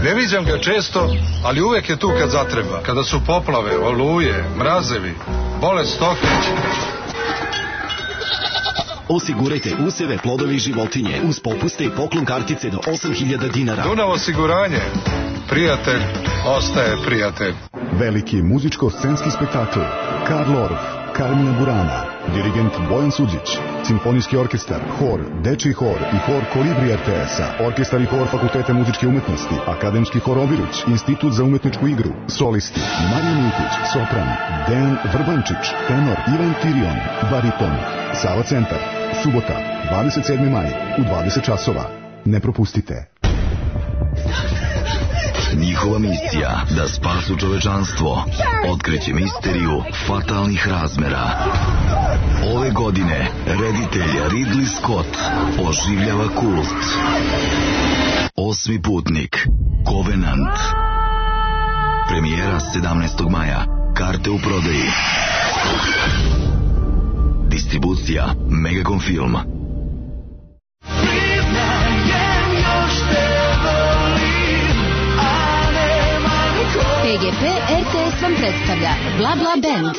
Ne viđam ga često, ali uvek je tu kad zatreba. Kada su poplave, oluje, mrazevi, bolest stoke. Osigurajte useve, plodovi i životinje uz popuste i poklon kartice do 8.000 dinara. Dunav osiguranje. Prijatelj ostaje prijatelj. Veliki muzičko-scenski spektakl. Karl Orff, Carmina Burana, dirigent Bojan Suđić, simfonijski orkestar, hor, dečiji hor i hor Kolibri RTS-a, orkestar i hor Fakulteta muzičke umetnosti, akademski hor Obiruć, institut za umetničku igru, solisti, Marija Miltić, sopran, Dejan Vrbančić, tenor, Ivan Tirion, bariton, Sava centar, subota, 27. maj, u 20 časova. Ne propustite. Njihova misija da spasu čovečanstvo otkreće misteriju fatalnih razmera. Ove godine reditelj Ridley Scott oživljava kult. Osmi putnik, Covenant. Premijera 17. maja. Karte u prodaji. Distribucija Megacom Film. PGP RTS vam predstavlja Bla Bla Band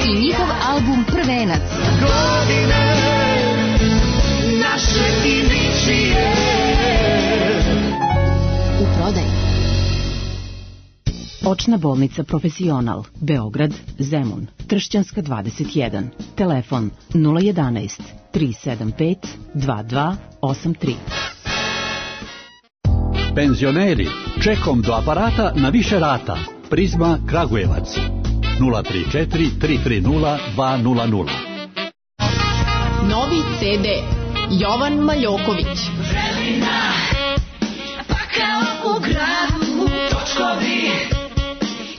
i njihov album Prvenac. U prodaji. Očna bolnica Profesional, Beograd, Zemun, Tršćanska 21, telefon 011 375 2283. Penzioneri, čekom do aparata na više rata. Prizma Kragujevac 034 330 200. Novi CD Jovan Maljoković. Vremena, pa kao u gradu, točkovi,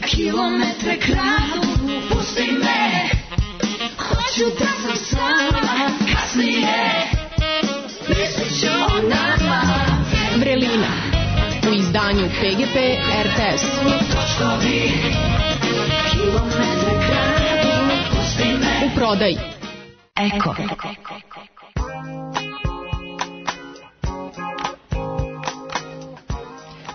kilometre kradu, pusti me, hoću da sam sama, kasnije, mislit ću o nama. Vrelina u izdanju PGP RTS. Točkovi, kilometre kradu, pusti me. U prodaji Eko.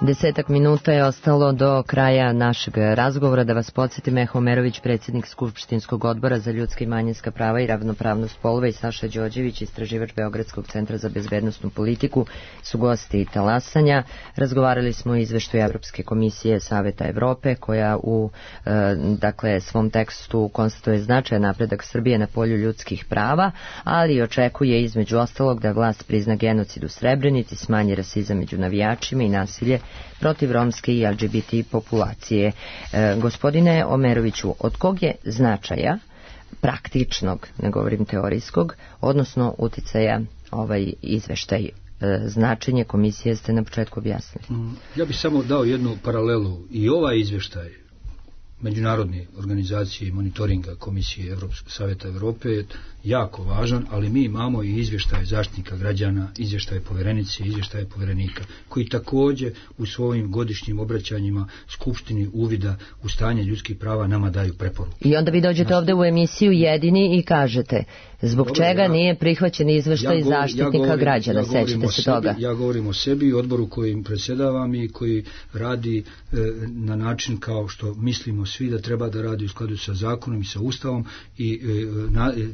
10 minuta je ostalo do kraja našeg razgovora. Da vas podsjetim, Meho Omerović, predsjednik Skupštinskog odbora za ljudska i manjinska prava i ravnopravnost polova, i Saša Đorđević, istraživač Beogradskog centra za bezbednosnu politiku, su gosti Talasanja. Razgovarali smo o izveštaju Evropske komisije Saveta Evrope, koja u svom tekstu konstatuje značajan napredak Srbije na polju ljudskih prava, ali očekuje između ostalog da vlast prizna genocid u Srebrenici, smanji rasizam među navijačima i nasilje protiv romske i LGBT populacije. Gospodine Omeroviću, od kog je značaja praktičnog, ne govorim teorijskog, odnosno uticaja ovaj izveštaj? Značenje komisije ste na početku objasnili. Ja bih samo dao jednu paralelu. I ovaj izveštaj međunarodne organizacije i monitoringa Komisije Saveta Evrope je jako važan, ali mi imamo i izvještaje zaštitnika građana, izvještaje povjerenice, izvještaje povjerenika, koji također u svojim godišnjim obraćanjima Skupštini uvida u stanje ljudskih prava nama daju preporuku. I onda vi dođete ovdje u emisiju jedini i kažete zbog čega nije prihvaćen izvještaj zaštitnika građana, sećate se toga? Ja govorim o sebi i odboru kojim predsjedavam i koji radi na način kao što mislimo svi da treba da radi u skladu sa zakonom i sa Ustavom, i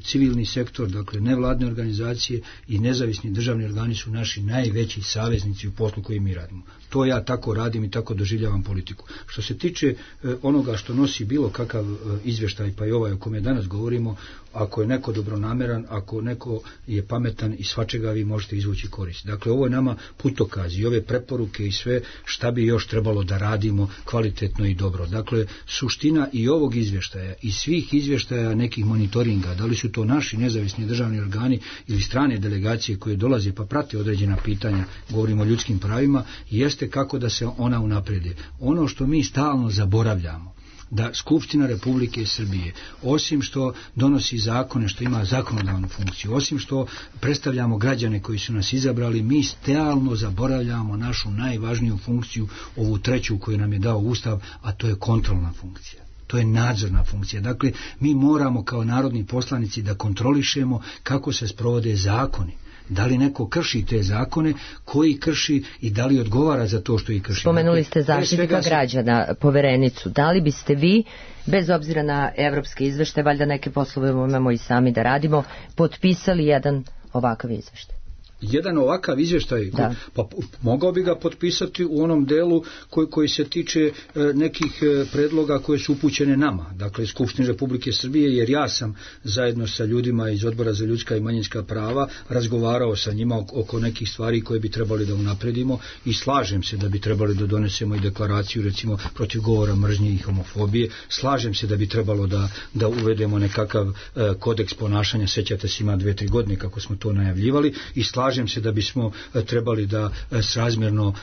civilni sektor, dakle nevladne organizacije i nezavisni državni organi su naši najveći saveznici u poslu koji mi radimo. To ja tako radim i tako doživljavam politiku. Što se tiče onoga što nosi bilo kakav izvještaj, pa i ovaj o kome danas govorimo, ako je neko dobronameran, ako neko je pametan, i svačega vi možete izvući korist. Dakle, ovo je nama putokaz i ove preporuke i sve šta bi još trebalo da radimo kvalitetno i dobro. Dakle, suština i ovog izvještaja i svih izvještaja nekih monitoringa, da li su to naši nezavisni državni organi ili strane delegacije koje dolaze pa prate određena pitanja, govorimo o ljudskim pravima, jeste kako da se ona unaprijede. Ono što mi stalno zaboravljamo, da Skupština Republike Srbije, osim što donosi zakone, što ima zakonodavnu funkciju, osim što predstavljamo građane koji su nas izabrali, mi stalno zaboravljamo našu najvažniju funkciju, ovu treću koju nam je dao Ustav, a to je kontrolna funkcija. To je nadzorna funkcija. Dakle, mi moramo kao narodni poslanici da kontrolišemo kako se sprovode zakoni. Da li neko krši te zakone, koji krši i da li odgovara za to što ih krši. Spomenuli ste zaštitnika građana, poverenicu. Da li biste vi, bez obzira na evropske izveštaje, valjda neke poslove imamo i sami da radimo, potpisali jedan ovakav izveštaj? Jedan ovakav izvještaj, pa mogao bi ga potpisati u onom delu koji se tiče nekih predloga koje su upućene nama, dakle Skupštini Republike Srbije, jer ja sam zajedno sa ljudima iz Odbora za ljudska i manjinska prava razgovarao sa njima oko nekih stvari koje bi trebali da unapredimo, i slažem se da bi trebali da donesemo i deklaraciju recimo protiv govora mržnje i homofobije, slažem se da bi trebalo da uvedemo nekakav kodeks ponašanja, sećate se, ima 2-3 godine kako smo to najavljivali, i slažem se da bismo trebali da srazmjerno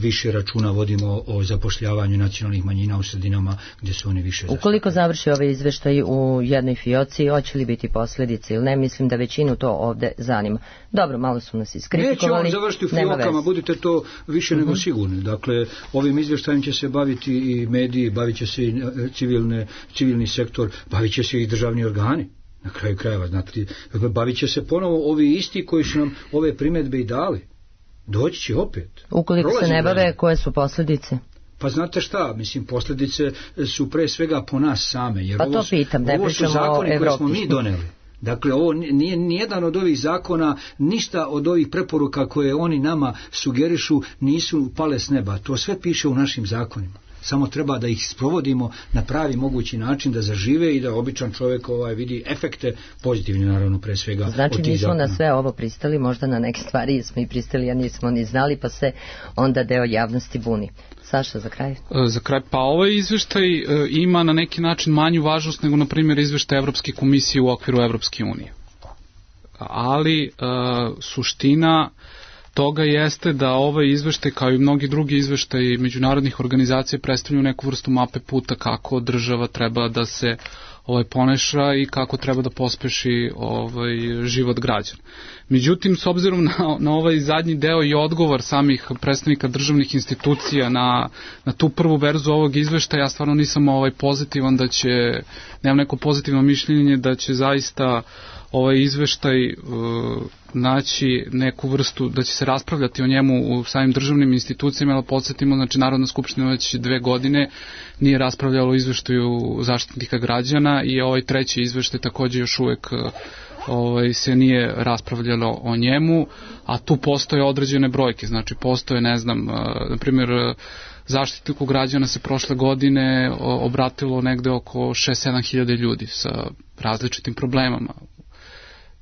više računa vodimo o zapošljavanju nacionalnih manjina u sredinama gdje su oni više zastupljeni. Ukoliko završi ovaj izveštaj u jednoj fioci, hoće li biti posljedice ili ne? Mislim da većinu to ovdje zanima. Dobro, malo su nas iskritikovali. Neće on završiti u fiokama, budite to više nego sigurni. Dakle, ovim izveštajem će se baviti i mediji, bavit će se i civilni sektor, bavit će se i državni organi. Na kraju krajeva, znate, bavit će se ponovo ovi isti koji su nam ove primjedbe i dali. Doći će opet. Ukoliko se ne bave, koje su posljedice? Pa znate šta, mislim, posljedice su pre svega po nas same. Jer pa to pitam, ne pričamo o Evropi. Ovo su zakoni koje smo mi doneli. Dakle, ovo nije nijedan od ovih zakona, ništa od ovih preporuka koje oni nama sugerišu nisu pale s neba. To sve piše u našim zakonima. Samo treba da ih sprovodimo na pravi mogući način, da zažive i da običan čovjek vidi efekte pozitivne, naravno, pre svega. Znači, nismo na sve ovo pristali, možda na neke stvari smo i pristali, a nismo ni znali, pa se onda deo javnosti buni. Saša, za kraj? Za kraj, pa ovaj izveštaj ima na neki način manju važnost nego, na primjer, izveštaj Evropske komisije u okviru Evropske unije. ali suština toga jeste da ovaj izveštaj, kao i mnogi drugi izveštaji međunarodnih organizacija, predstavljaju neku vrstu mape puta kako država treba da se poneša i kako treba da pospeši život građana. Međutim, s obzirom na ovaj zadnji deo i odgovor samih predstavnika državnih institucija na tu prvu verziju ovog izveštaja, ja stvarno nisam pozitivan da će, nemam neko pozitivno mišljenje da će zaista ovaj izveštaj naći neku vrstu, da će se raspravljati o njemu u samim državnim institucijama, ali podsjetimo, znači Narodna skupština već 2 godine nije raspravljala o izveštaju Zaštitnika građana i ovaj treći izveštaj takođe još uvek se nije raspravljalo o njemu, a tu postoje određene brojke, znači postoje, ne znam, na primjer, Zaštitniku građana se prošle godine obratilo negde oko 6-7 hiljada ljudi sa različitim problemama.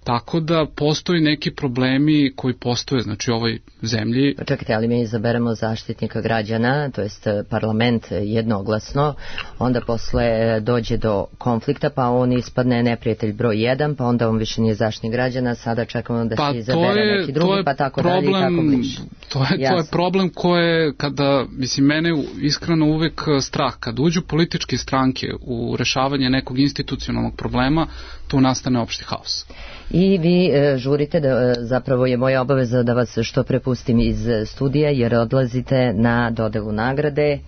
Tako da postoji neki problemi koji postoje, znači u ovoj zemlji. Čekajte, ali mi izaberemo Zaštitnika građana, to jest parlament jednoglasno, onda posle dođe do konflikta, pa on ispadne neprijatelj broj 1, pa onda on više nije Zaštitnik građana, sada čekamo da se izabere neki drugi, pa tako dalje i tako bliže. To je problem koje, kada, mislim, mene iskreno uvek strah, kad uđu političke stranke u rešavanje nekog institucionalnog problema, tu nastane opšti haos. I vi žurite, da zapravo je moja obaveza da vas što prepustim iz studija, jer odlazite na dodelu nagrade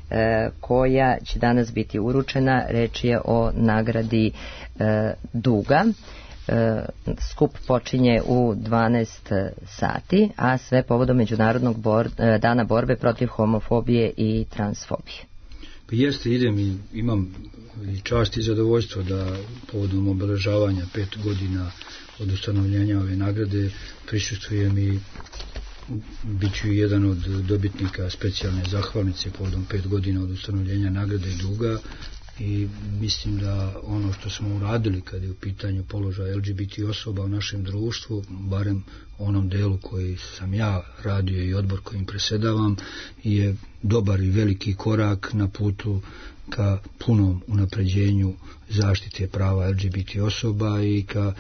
koja će danas biti uručena. Reč je o nagradi Duga. Skup počinje u 12 sati, a sve povodom Međunarodnog dana borbe protiv homofobije i transfobije. Pa jeste, idem i imam i čast i zadovoljstvo da povodom obeležavanja 5 godina od ustanovljenja ove nagrade prisustvujem i bit ću jedan od dobitnika specijalne zahvalnice povodom 5 godina od ustanovljenja nagrade Duga i mislim da ono što smo uradili kad je u pitanju položaja LGBT osoba u našem društvu, barem onom delu koji sam ja radio i odbor kojim presedavam, je dobar i veliki korak na putu ka punom unapređenju zaštite prava LGBT osoba i ka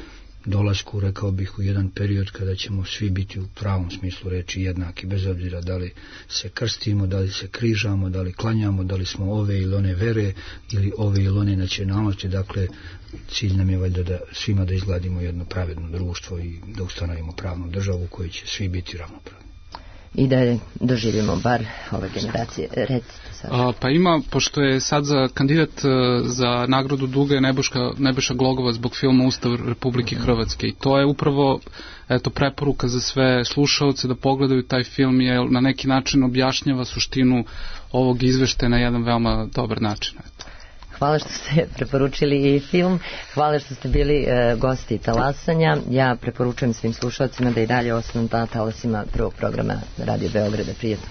dolasku, rekao bih, u jedan period kada ćemo svi biti u pravom smislu reči jednaki, bez obzira da li se krstimo, da li se križamo, da li klanjamo, da li smo ove ili one vere ili ove ili one nacionalnosti. Dakle, cilj nam je valjda da svima da izgradimo jedno pravedno društvo i da ustanovimo pravnu državu u kojoj će svi biti ravnopravni. I da doživimo bar ove generacije. Recite sad. Pa ima, pošto je sad za kandidat za nagradu Duga je Nebojša Glogovac zbog filma Ustav Republike Hrvatske i to je upravo preporuka za sve slušaoce da pogledaju taj film, jer na neki način objašnjava suštinu ovog izveštaja na jedan veoma dobar način. Hvala što ste preporučili i film, hvala što ste bili gosti Talasanja. Ja preporučujem svim slušalcima da i dalje ostanu na talasima prvog programa Radio Beograda. Prijetno.